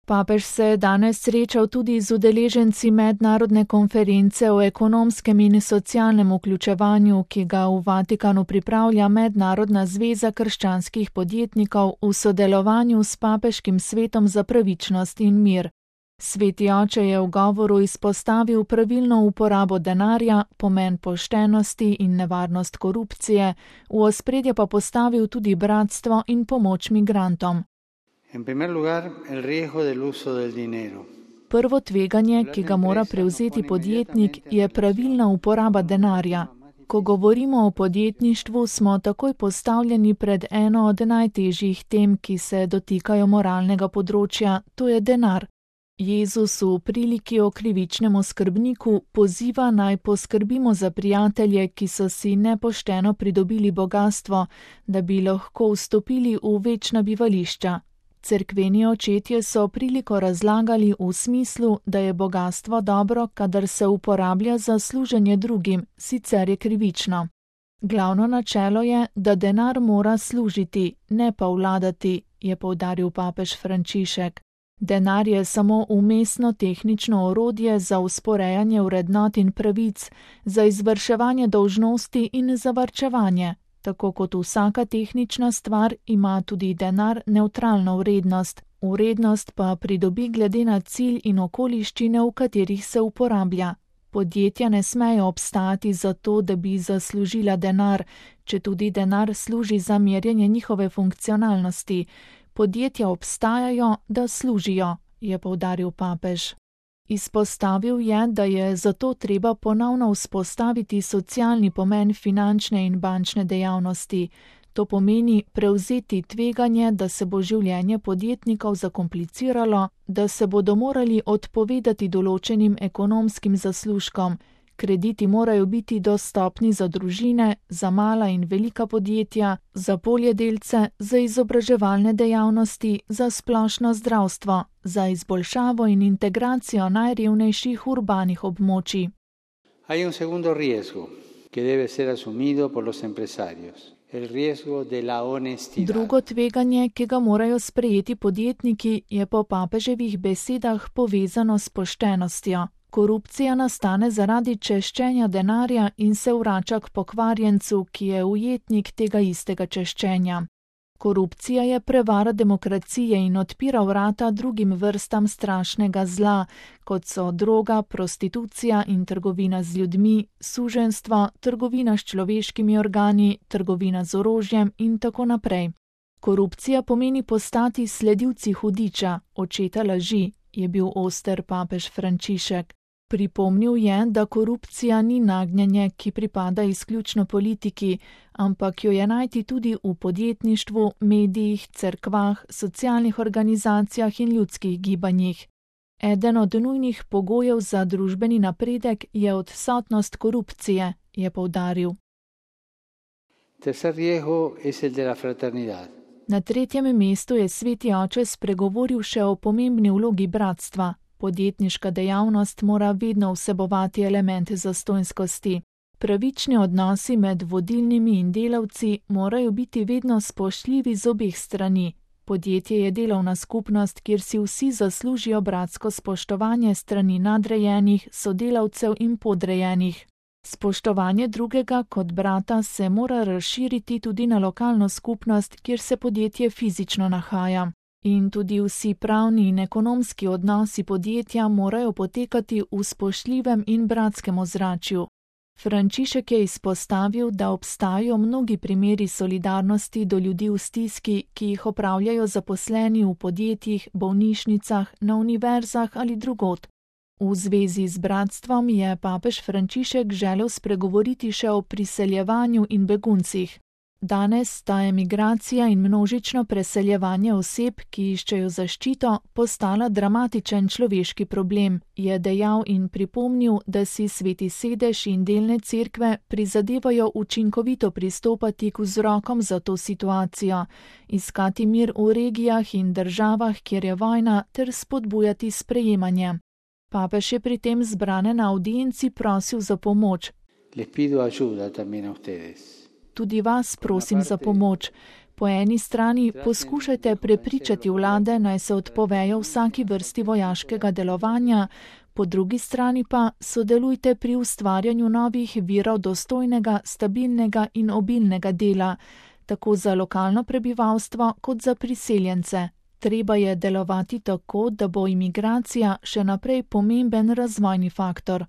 Papež se je danes srečal tudi z udeleženci mednarodne konference o ekonomskem in socialnem vključevanju, ki ga v Vatikanu pripravlja Mednarodna zveza krščanskih podjetnikov v sodelovanju s Papeškim svetom za pravičnost in mir. Sveti oče je v govoru izpostavil pravilno uporabo denarja, pomen poštenosti in nevarnost korupcije, v ospredje pa postavil tudi bratstvo in pomoč migrantom. Prvo tveganje, ki ga mora prevzeti podjetnik, je pravilna uporaba denarja. Ko govorimo o podjetništvu, smo takoj postavljeni pred eno od najtežjih tem, ki se dotikajo moralnega področja, to je denar. Jezus v priliki o krivičnemu skrbniku poziva naj poskrbimo za prijatelje, ki so si nepošteno pridobili bogastvo, da bi lahko vstopili v večna bivališča. Cerkveni očetje so priliko razlagali v smislu, da je bogastvo dobro, kadar se uporablja za služenje drugim, sicer je krivično. Glavno načelo je, da denar mora služiti, ne pa vladati, je poudaril papež Frančišek. Denar je samo umestno tehnično orodje za usporejanje vrednot in pravic, za izvrševanje dolžnosti in za varčevanje. Tako kot vsaka tehnična stvar ima tudi denar nevtralno vrednost, vrednost pa pridobi glede na cilj in okoliščine, v katerih se uporablja. Podjetja ne smejo obstajati zato, da bi zaslužila denar, če tudi denar služi za merjenje njihove funkcionalnosti. Podjetja obstajajo, da služijo, je poudaril papež. Izpostavil je, da je zato treba ponovno vzpostaviti socialni pomen finančne in bančne dejavnosti. To pomeni prevzeti tveganje, da se bo življenje podjetnikov zakompliciralo, da se bodo morali odpovedati določenim ekonomskim zaslužkom. Krediti morajo biti dostopni za družine, za mala in velika podjetja, za poljedelce, za izobraževalne dejavnosti, za splošno zdravstvo, za izboljšavo in integracijo najrevnejših urbanih območij. Hay un segundo riesgo, que debe ser asumido por los empresarios. El riesgo de la honestidad. Drugo tveganje, ki ga morajo sprejeti podjetniki, je po papeževih besedah povezano s poštenostjo. Korupcija nastane zaradi češčenja denarja in se vrača k pokvarjencu, ki je ujetnik tega istega češčenja. Korupcija je prevara demokracije in odpira vrata drugim vrstam strašnega zla, kot so droga, prostitucija in trgovina z ljudmi, suženjstvo, trgovina s človeškimi organi, trgovina z orožjem in tako naprej. Korupcija pomeni postati sledilci hudiča, očeta laži, je bil oster papež Frančišek. Pripomnil je, da korupcija ni nagnjenje, ki pripada izključno politiki, ampak jo je najti tudi v podjetništvu, medijih, cerkvah, socialnih organizacijah in ljudskih gibanjih. Eden od nujnih pogojev za družbeni napredek je odsotnost korupcije, je poudaril. Tercer riesgo es el de la fraternidad. Na tretjem mestu je sveti oče spregovoril še o pomembni vlogi bratstva. Podjetniška dejavnost mora vedno vsebovati elemente zastonjskosti. Pravični odnosi med vodilnimi in delavci morajo biti vedno spoštljivi z obeh strani. Podjetje je delovna skupnost, kjer si vsi zaslužijo bratsko spoštovanje strani nadrejenih, sodelavcev in podrejenih. Spoštovanje drugega kot brata se mora razširiti tudi na lokalno skupnost, kjer se podjetje fizično nahaja. In tudi vsi pravni in ekonomski odnosi podjetja morajo potekati v spoštljivem in bratskem ozračju. Frančišek je izpostavil, da obstajajo mnogi primeri solidarnosti do ljudi v stiski, ki jih opravljajo zaposleni v podjetjih, bolnišnicah, na univerzah ali drugod. V zvezi z bratstvom je papež Frančišek želel spregovoriti še o priseljevanju in beguncih. Danes sta emigracija in množično preseljevanje oseb, ki iščejo zaščito, postala dramatičen človeški problem, je dejal in pripomnil, da si Sveti sedež in delne cerkve prizadevajo učinkovito pristopati k vzrokom za to situacijo, iskati mir v regijah in državah, kjer je vojna, ter spodbujati sprejemanje. Papež je pri tem zbrane na audienci prosil za pomoč. Les pido ayuda también a ustedes. Tudi vas prosim za pomoč. Po eni strani poskušajte prepričati vlade, naj se odpovejo vsaki vrsti vojaškega delovanja, po drugi strani pa sodelujte pri ustvarjanju novih virov dostojnega, stabilnega in obilnega dela, tako za lokalno prebivalstvo kot za priseljence. Treba je delovati tako, da bo imigracija še naprej pomemben razvojni faktor.